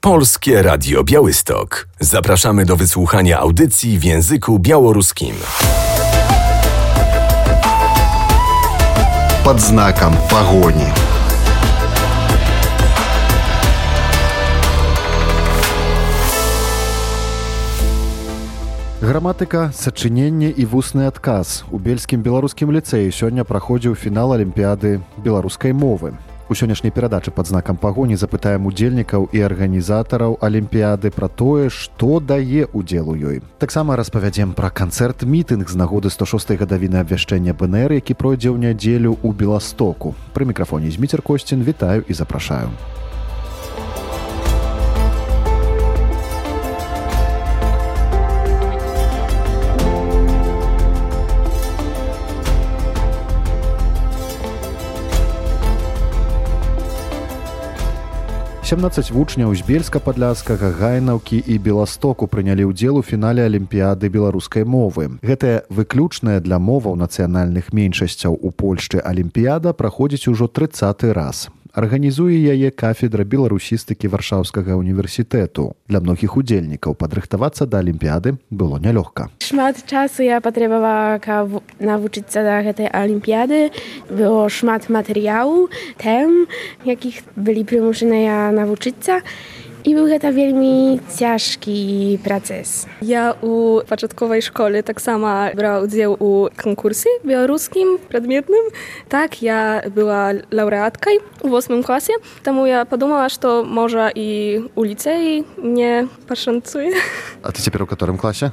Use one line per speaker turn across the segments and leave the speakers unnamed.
Polskie Radio Białystok. Zapraszamy do wysłuchania audycji w języku białoruskim.
Под знаком погони. Граматыка, сачыненне і вусны адказ. У Бельскім беларускім ліцэі сёння праходзіў фінал алімпіяды беларускай мовы. У сённяшняй перадачы «Пад знакам пагоні» запытаем удзельнікаў і арганізатараў алімпіяды пра тое, што дае ўдзел у ёй. Таксама распавядзем пра канцэрт-мітынг з нагоды 106-й гадавіны абвяшчэння БНР, які пройдзе ў нядзелю ў Беластоку. Пры мікрафоне Зміцер Косцін, вітаю і запрашаю. 17 вучняў з Бельска-Падляшскага, Гайнаўкі і Беластоку прынялі ўдзел у фінале алімпіяды беларускай мовы. Гэтая выключная для моваў нацыянальных меншасцяў у Польшчы алімпіяда праходзіць ужо 30-й раз. Арганізуе яе кафедра беларусістыкі Варшаўскага універсітэту. Для многіх удзельнікаў падрыхтавацца да алімпіяды было нялёгка.
Шмат часу я патрабавала, каб навучыцца да гэтай алімпіяды. Было шмат матэрыялаў, тэм, якіх былі прымушаныя навучыцца. I był to wielmi ciężki proces.
Ja u początkowej szkoły tak samo brała udział u konkursie białoruskim przedmiotnym. Tak, ja była laureatką w 8 klasie. Тому ja подумала, że może i u licei mnie посшанцуе.
A ty teraz w którym klasie?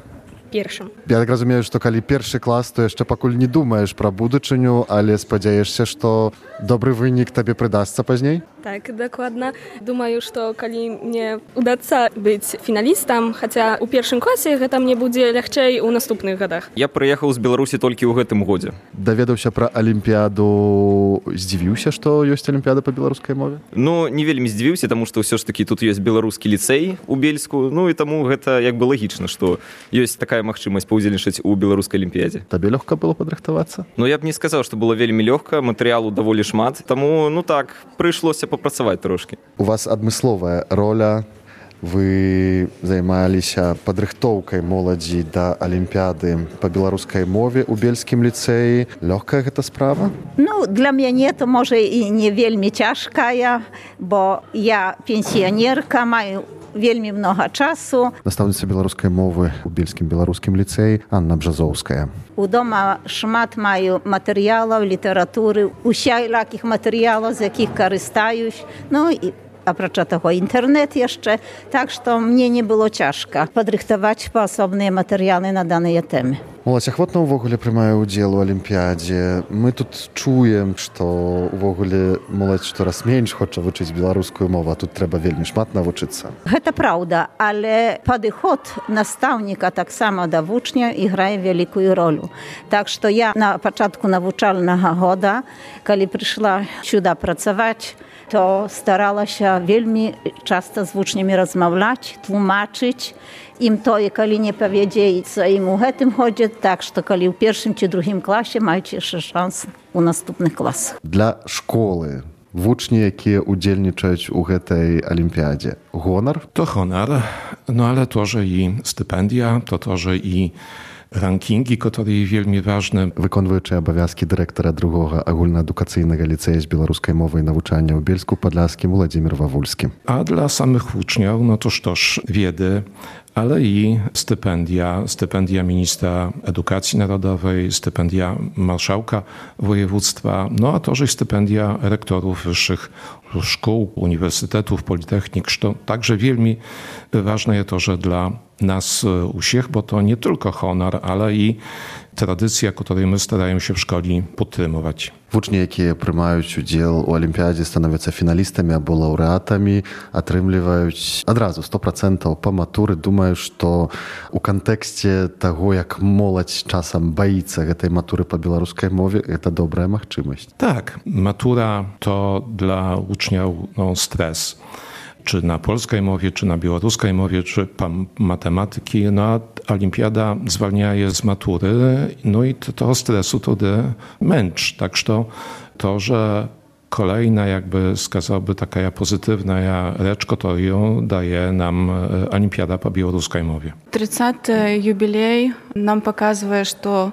Pierwszym.
Ja tak rozumiem, że kali pierwszy klas, to jeszcze pakul nie думаешь про будучыню, ale спадзяешся, что добрый выник тебе придастся поздней?
Tak, dokładnie. Думаю, что коли мне удастся быть финалистом, хотя у pierwszym klasie это мне будет легче у наступных годах.
Я приехал из Беларуси только в этом году.
Доведаўся про Олимпиаду, здзівіўся, что есть Олимпиада по белорусской мове?
Ну, не вельмі здзівіўся, потому что все ж таки тут есть белорусский лицей у Бельску, ну и тому это как бы логично, что есть такая магчымасць паўдзельнічаць у беларускай алімпіядзе.
Табе лёгка было падрыхтавацца?
Ну, я б не сказаў, што было вельмі лёгка, матэрыялу даволі шмат, таму, ну так, прыйшлося папрацаваць трошкі.
У вас адмысловая роля, вы займаліся падрыхтоўкай моладзі да алімпіяды па беларускай мове ў Бельскім ліцэі. Лёгкая гэта справа?
Ну, для мяне то, можа, і не вельмі цяжкая, бо я пенсіянерка, маю вельмі много часу.
Настаўніца беларускай мовы ў Бельскім беларускім ліцэі Анна Бжазоўская.
У дома шмат маю матэрыялаў, літаратуры, усялякіх матэрыялаў, з якіх карыстаюсь. Ну, і апрача таго інтэрнэт яшчэ. Так што мне не было цяжка падрыхтаваць паасобныя матэрыялы на даныя тэмы.
Моладзь ахвотна ўвогуле прымае ўдзел у алімпіядзе. Мы тут чуем, што ўвогуле моладзь штораз менш хоча вучыць беларускую мову, а тут трэба вельмі шмат навучыцца.
Гэта праўда, але падыход настаўніка таксама да вучня іграе вялікую ролю. Так што я на пачатку навучальнага года, калі прыйшла сюда працаваць, то старалася вельмі часта з вучнямі размаўляць, тлумачыць ім тое, калі не павядзеецца ім у гэтым годзе, так што калі ў першым ці другім класе маеце яшчэ шанс у наступных класах.
Для школы вучні, якія ўдзельнічаюць у гэтай алімпіядзе, гонар?
To honor, no ale to, że i stypendia, to, że i rankingi, które wielmi ważne.
Wykонваючы абавязкі дырэктара другога агульнаадукацыйнага ліцэя з беларускай мовай навучання ў Бельску-Падляшскім Владзімір Вавульскі.
A dla samych uczniów, no to sztoż wiedzy, ale i stypendia ministra edukacji narodowej, stypendia marszałka województwa, no a to, że i stypendia rektorów wyższych szkół, uniwersytetów, politechnik, to także wielmi ważne jest to, że dla nas usiech, bo to nie tylko honor, ale i tradycja, której my staramy się w szkole podtrzymywać.
Вучні, якія прымаюць удзел у алімпіядзе, становяцца фіналістамі або лаўрэатамі, атрымліваюць адразу 100% па матуры. Думаю, што у кантэксце таго, як моладзь часам баіцца гэтай матуры па беларускай мове, гэта добрая магчымасць.
Tak, matura to dla uczniów stres. Czy na polskiej mowie, czy na białoruskiej mowie, czy matematyki, no a olimpiada zwalnia je z matury, no i to stresu to męcz. Tak, że kolejna jakby сказałby taka pozytywna rzecz, którą daje nam Olimpiada po białoruskiej mowie.
30-й юбілей нам показывае, што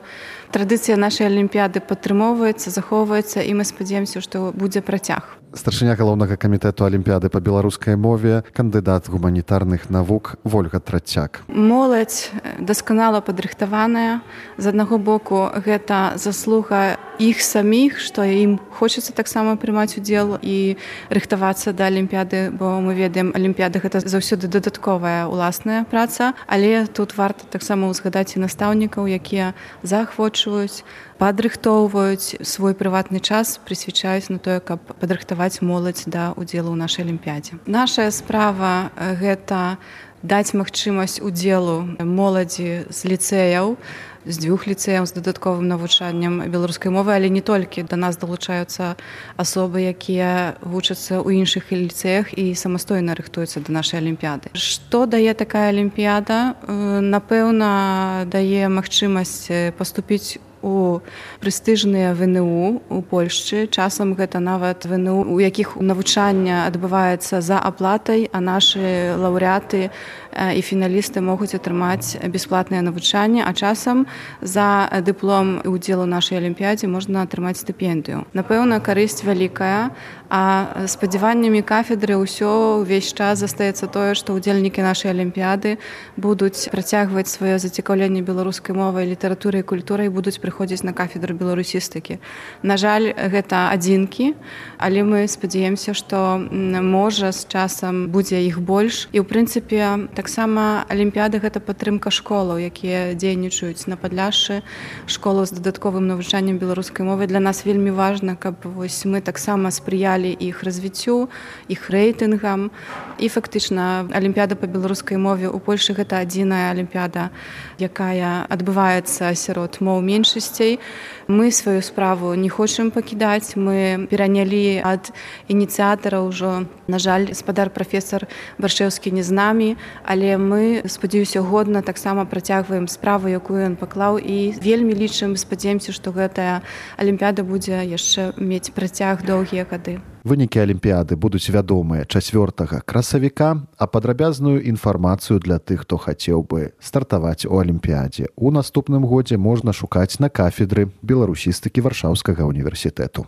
традыцыя нашай алімпіяды падтрымоўваецца, захоўваецца, і мы спадзяемся, што будзе працяг.
Старшыня галоўнага камітэту алімпіяды па беларускай мове, кандыдат гуманітарных навук Вольга Трацяк.
Моладзь дасканала падрыхтаваная. З аднаго боку, гэта заслуга іх саміх, што ім хочацца таксама прымаць удзел і рыхтавацца да алімпіяды, бо мы ведаем, алімпіяда гэта заўсёды дадатковая уласная праца, але тут варта таксама узгадаць і настаўнікаў, якія заахвочваюць, падрыхтоўваюць свой прыватны час, прысвячаюць на тое, каб падрыхтаваць моладзь да удзелу ў нашай алімпіядзе. Нашая справа гэта даць магчымасць удзелу моладзі з ліцэяў, з 2 ліцэяў з дадатковым навучаннем беларускай мовы, але не толькі. Да нас далучаюцца асобы, якія вучацца ў іншых ліцэях і самастойна рыхтуюцца да нашай алімпіяды. Што дае такая алімпіяда? Напэўна, дае магчымасць паступіць у прэстыжныя ВНУ у Польшчы. Часам гэта нават ВНУ, у якіх навучанне адбываецца за аплатай, а нашы лаўрэаты і фіналісты могуць атрымаць бясплатнае навучанне, а часам за дыплом і удзел у нашай алімпіядзе можна атрымаць стыпендыю. Напэўна, карысць вялікая, а спадзяваннямі кафедры ўсё ўвесь час застаецца тое, што ўдзельнікі нашай алімпіяды будуць працягваць сваё зацікаўленне беларускай мовай, літаратурай і культурай, будуць прыходзіць на кафедру беларусістыкі. На жаль, гэта адзінкі, але мы спадзяемся, што можа з часам будзе іх больш. І ў прынцыпе таксама алімпіяда гэта падтрымка школаў, якія дзейнічаюць на Падляшшы, школаў з дадатковым навучаннем беларускай мовы. Для нас вельмі важна, каб мы таксама спрыялі іх развіццю, іх рэйтынгам. І фактычна алімпіяда па беларускай мове ў Польшы гэта адзіная алімпіяда, якая адбываецца сярод моў меншасцей. Мы сваю справу не хочам пакідаць. Мы перанялі ад ініцыятара ўжо. На жаль, гаспадар прафесар Баршэўскі не з намі, але мы, спадзяюся, годна таксама працягваем справу, якую ён паклаў, і вельмі лічым, спадзяемся, што гэтая алімпіяда будзе яшчэ мець працяг доўгія гады.
Вынікі алімпіяды будуць вядомыя 4 красавіка, а падрабязную інфармацыю для тых, хто хацеў бы стартаваць у алімпіядзе у наступным годзе, можна шукаць на кафедры беларусістыкі Варшаўскага універсітэту.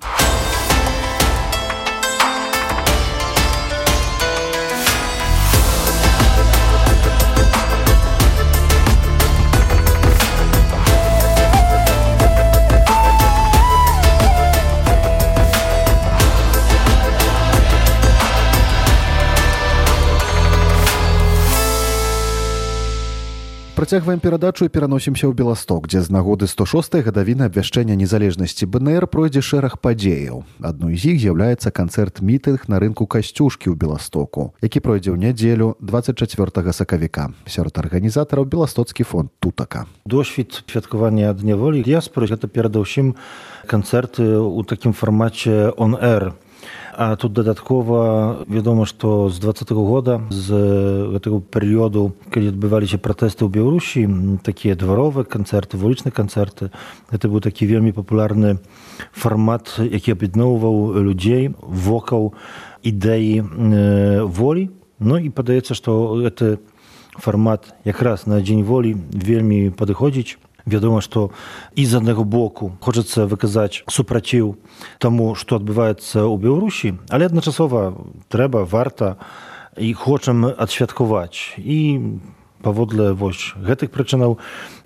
Працягваем перадачу і пераносімся ў Беласток, дзе з нагоды 106-й гадавіны абвяшчэння незалежнасці БНР пройдзе шэраг падзеяў. Адной з іх з'яўляецца канцэрт-мітынг на рынку Касцюшкі ў Беластоку, які пройдзе ў нядзелю 24 сакавіка. Сярод арганізатараў беластоцкі фонд Тутака.
Досвід святкавання Дня волі дыяспоры – гэта перадусім канцэрты ў такім фармаце on-air. А тут дадаткова вядома, што з 20-го года, з гэтага перыёду, калі адбываліся пратэсты ў Беларусі, такія дваровыя канцэрты, вулічныя канцэрты, гэта быў такі вельмі папулярны фармат, які аб'ядноўваў людзей вокал ідэі волі. Ну і падаецца, што гэты фармат якраз на Дзень волі вельмі падыходзіць. Вядома, што і з аднаго боку хочацца выказаць супраціў таму, што адбываецца ў Беларусі, але адначасова трэба, варта і хочам адсвяткаваць. І паводле гэтых прычынаў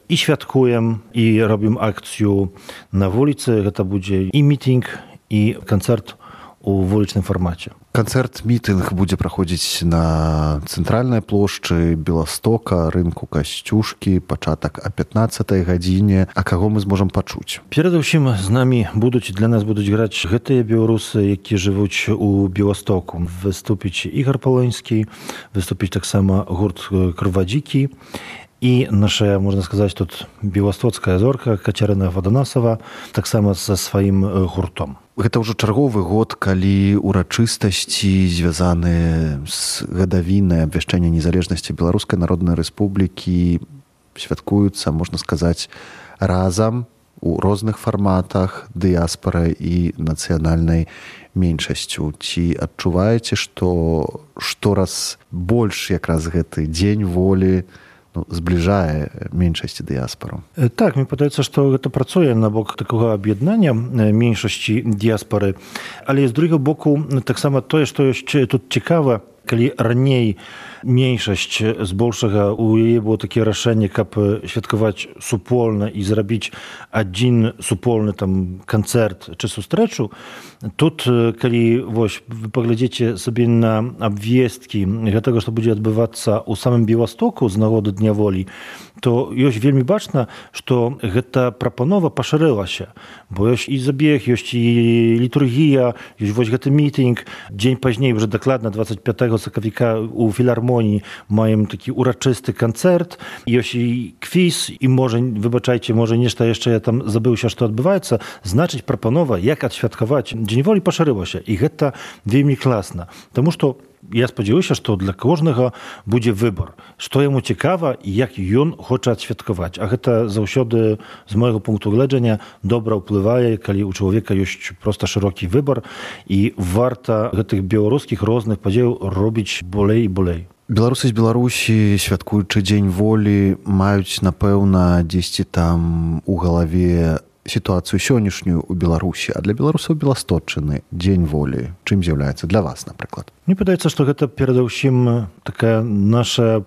і святкуем, і робім акцыю на вуліцы. Гэта будзе і мітынг, і канцэрт у вулічным фармаце.
Канцэрт-мітынг будзе праходзіць на цэнтральнай плошчы Беластока, рынку Касцюшкі, пачатак о 15-й гадзіне. А каго мы зможам пачуць?
Перадусім з намі для нас будуць граць гэтыя беларусы, якія жывуць у Беластоку. Выступіць Ігор Полонскі, выступіць таксама гурт Крывадзікі. І наша, можна сказаць, тут беластоцкая зорка Кацярына Ваданасава таксама са сваім гуртом.
Гэта ўжо чарговы год, калі урачыстасці, звязаныя з гадавінай абвяшчэння незалежнасці Беларускай Народнай Рэспублікі, святкуюцца, можна сказаць, разам у розных фарматах дыяспорай і нацыянальнай меншасцю. Ці адчуваеце, што штораз больш якраз гэты дзень волі збліжае меншасці дыяспору?
Так, мне падаецца, што гэта працуе на бок такога аб'яднання меншасці дыяспоры, але з другога боку таксама тое, што яшчэ тут цікава, калі раней меншасць збольшага у яе было такія рашэнні, каб святкаваць супольна і зрабіць адзін супольны там канцэрт ці сустрэчу, тут калі вось вы паглядзіце сабе на абвесткі гэтага, што будзе адбывацца ў самым Беластоку з нагоды Дня волі, то ёсць вельмі бачна, што гэта прапанова пашырылася, бо ёсць і забег, ёсць і літургія, ёсць вось гэты мітынг. Дзень пазней, уже дакладна 25 сакавіка у філармоніі маем такі урачысты канцэрт, ёсць і квіз, і можа, выбачайце, можа нешта яшчэ я там забыўся, што адбываецца, значыць прапанова, як адсвяткаваць Дзень волі пашырылася, і гэта вельмі класна, таму што я спадзяюся, што для кожнага будзе выбар, што яму цікава і як ён хоча адсвяткаваць. А гэта заўсёды, з майго пункту гледжання, добра ўплывае, калі ў чалавека ёсць проста шырокі выбар, і варта гэтых беларускіх розных падзеяў робіць болей і болей.
Беларусы з Беларусі, святкуючы Дзень волі, маюць, напэўна, дзесьці там у галаве сітуацыю сённяшнюю ў Беларусі, а для беларусаў Беласточчыны Дзень волі чым з'яўляецца для вас, напрыклад?
Мне падаецца, што гэта перадусім такая наша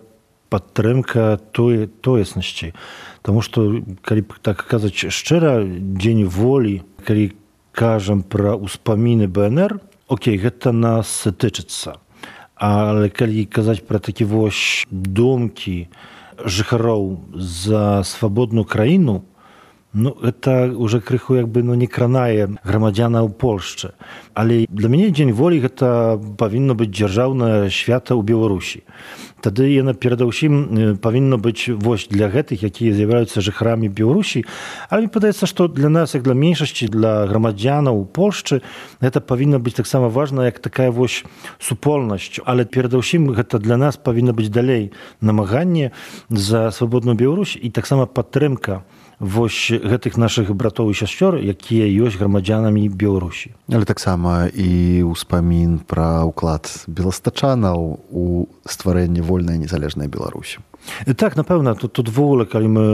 падтрымка тоеснасці. Таму што, калі так казаць шчыра, Дзень волі, калі кажам пра ўспаміны БНР, окей, гэта нас тычыцца. Але калі казаць пра такі вось думкі жыхароў за свабодную краіну, гэта ўжо крыху не кранае грамадзянаў Польшчы. Але для мяне Дзень волі гэта павінна быць дзяржаўнае свята ў Беларусі. Тады яна перадусім павінна быць вось для гэтых, якія з'яўляюцца жыхарамі Беларусі. Але мне падаецца, што для нас, як для меншасці, для грамадзянаў Польшчы, гэта павінна быць таксама важна, як такая вось супольнасць. Але перадусім гэта для нас павінна быць далей намаганне за свабодную Беларусь і таксама падтрымка вось гэтых нашых братоў і сясцёр, якія ёсць грамадзянамі Беларусі.
Але таксама і ўспамін пра ўклад беластачанаў у стварэнне вольнай незалежнай Беларусі.
Так, напэўна, тут ввогуле, калі мы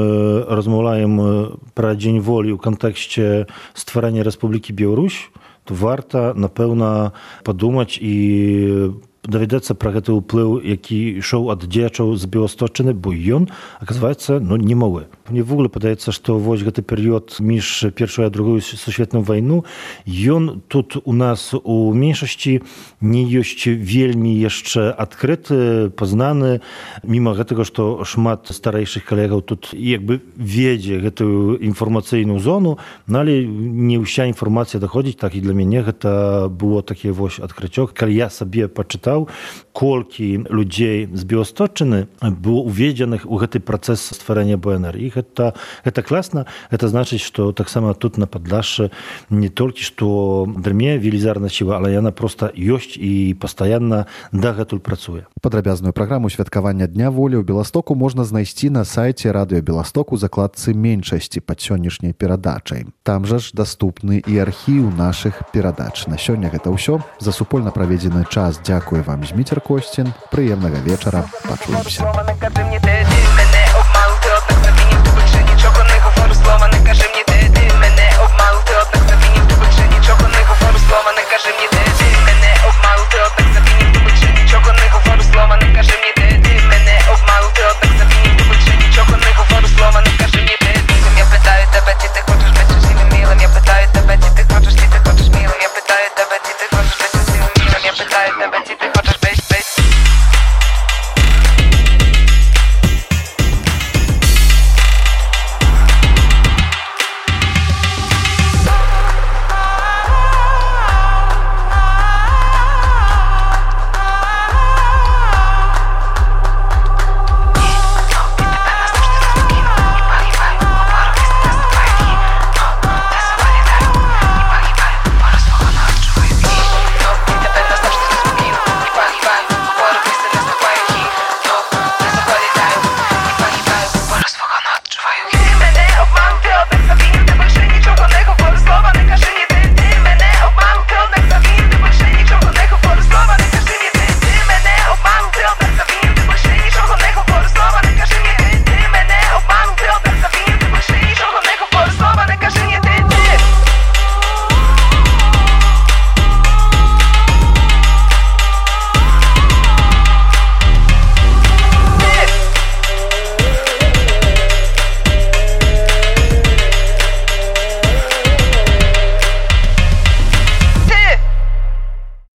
размаўляем пра Дзень волі ў кантэксце стварэння Рэспублікі Беларусь, то варта, напэўна, падумаць і даведацца пра гэты ўплыў, які ішоў ад дзеячаў з Беласточчыны, бо ён, аказваецца, немалы. Мне ввогуле падаецца, што вось гэты перыяд між Першую і Другую сусветную вайну, ён тут у нас у меншасці не ёсць вельмі яшчэ адкрыты, пазнаны, міма гэтага, што шмат старэйшых калегаў тут ведзе гэтую інфармацыйную зону, але не ўся інфармацыя даходзіць, так і для мяне гэта было такі вось адкрыццё. Калі я сабе пачытаў, колькі людзей з Беласточчыны было уведзеных у гэты працэс стварэння БНР. І гэта класна. Гэта значыць, што таксама тут на Падляшшы не толькі што дрыме велізарная сіла, але яна проста ёсць і пастаянна дагэтуль працуе.
Падрабязную праграму святкавання Дня волі ў Беластоку можна знайсці на сайце Радыё Беласток у закладцы меншасці пад сённяшняй перадачай. Там жа ж даступны і архіў нашых перадач. На сёння гэта ўсё. За супольна праведзены час дзякую вам, Зміцер Косцін. Прыемнага вечара. Пачуемся.